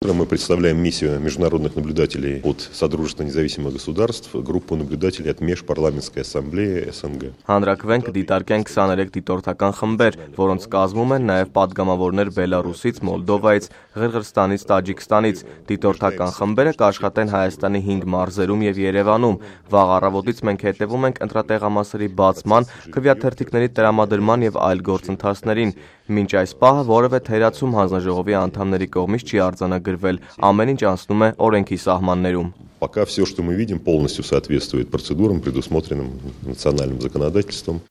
Мы представляем миссию международных наблюдателей от Содружества независимых государств, группу наблюдателей от Межпарламентской ассамблеи ՍНГ. Հանրակրվեն կդիտարկեն 23 դիտորդական խմբեր, որոնց կազմում են նաև պատգամավորներ Բելարուսից, Մոլդովայից, Ղրղըզստանից, Տաջիկստանից։ Դիտորդական խմբերը կաշխատեն Հայաստանի 5 մարզերում եւ Երևանում։ Վաղ առավոտից մենք հետևում ենք ընտրատեղամասերի բացման, քվեաթերթիկների տրամադրման եւ այլ գործընթացներին։ Մինչ այս պահը որևէ թերացում հանձնաժողովի անդամների կողմից չի արձանագրվել, ամեն ինչ անցնում է օրենքի սահմաններում։ Пока все, что мы видим, полностью соответствует процедурам, предусмотренным национальным законодательством.